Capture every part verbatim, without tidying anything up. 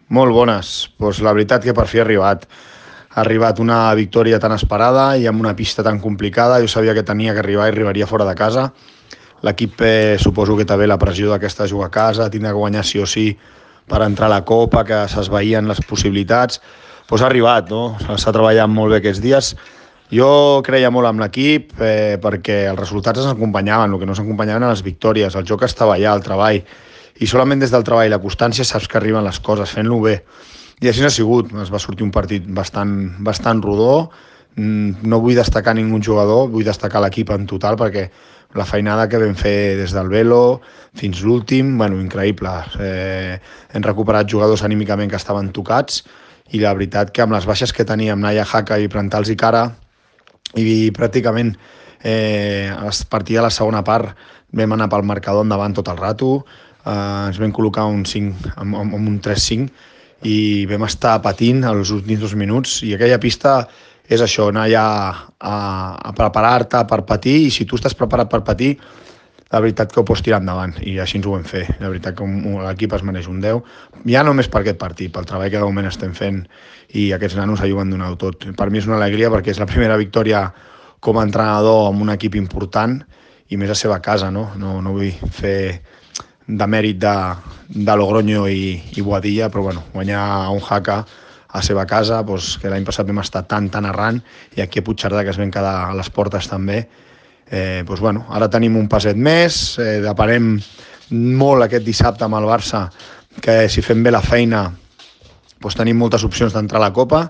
Molt bones. Pues la veritat que per fi ha arribat. Ha arribat una victòria tan esperada i amb una pista tan complicada. Jo sabia que tenia que arribar i arribaria fora de casa. L'equip eh, suposo que també la pressió d'aquesta jugar a casa, tindrà que guanyar sí o sí per entrar a la Copa, que s'esvaïen les possibilitats. Pues ha arribat, no? S'ha treballat molt bé aquests dies. Jo creia molt amb l'equip eh, perquè els resultats ens acompanyaven, el que no s'acompanyaven eren les victòries, el joc estava allà, el treball, i solament des del treball i la constància saps que arriben les coses, fent-lo bé. I així ha sigut, es va sortir un partit bastant, bastant rodó, no vull destacar ningú jugador, vull destacar l'equip en total perquè la feinada que vam fer des del Velo fins l'últim, bueno, increïble. Eh, hem recuperat jugadors anímicament que estaven tocats i la veritat que amb les baixes que teníem, Naya Haka i Prantals i Cara, i pràcticament eh, a partir de la segona part vam anar pel marcador endavant tot el rato, eh, ens vam col·locar un cinc, amb, amb un tres cinc i vam estar patint els últims dos minuts i aquella pista és això, anar allà a, a preparar-te per patir i si tu estàs preparat per patir la veritat que ho pots tirar endavant i així ens ho vam fer, la veritat que l'equip es mereix un deu, ja només per aquest partit, pel treball que de moment estem fent i aquests nanos s'ho han donat tot. Per mi és una alegria perquè és la primera victòria com a entrenador amb un equip important i més a seva casa, no? No, no vull fer de mèrit de, de Logroño i, i Boadilla, però bueno, guanyar a un Haka a seva casa, doncs, que l'any passat vam estar tan, tan arran, i aquí a Puigcerdà, que es vam quedar a les portes també, eh, doncs, bueno, ara tenim un passet més, eh, deparem molt aquest dissabte amb el Barça, que si fem bé la feina doncs tenim moltes opcions d'entrar a la Copa,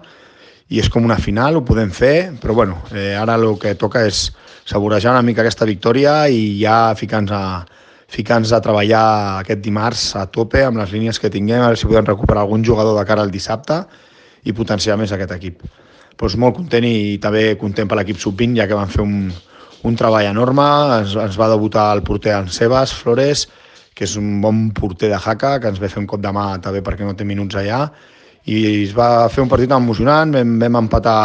i és com una final, ho podem fer, però bueno, eh, ara el que toca és saborejar una mica aquesta victòria i ja ficar-nos a, ficar-nos a treballar aquest dimarts a tope amb les línies que tinguem, a veure si podem recuperar algun jugador de cara al dissabte i potenciar més aquest equip. Doncs molt content i també content per l'equip sub vint, ja que van fer un, un treball enorme, ens, ens va debutar el porter en Sebas Flores, que és un bon porter de Haka, que ens ve fer un cop de mà també perquè no té minuts allà, i es va fer un partit emocionant, vam, vam empatar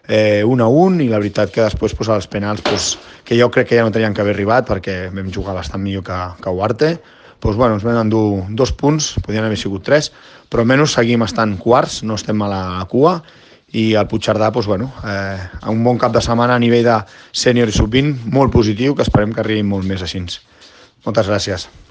eh, un a un i la veritat que després pues, als penals, pues, que jo crec que ja no tenien que haver arribat perquè vam jugar bastant millor que, que Huarte, pues, bueno, ens vam endur dos punts, podien haver sigut tres, però almenys seguim estant quarts, no estem a la cua, i el Puigcerdà, pues, bueno, eh, un bon cap de setmana a nivell de sènior i sub vint, molt positiu, que esperem que arribi molt més així. Moltes gràcies.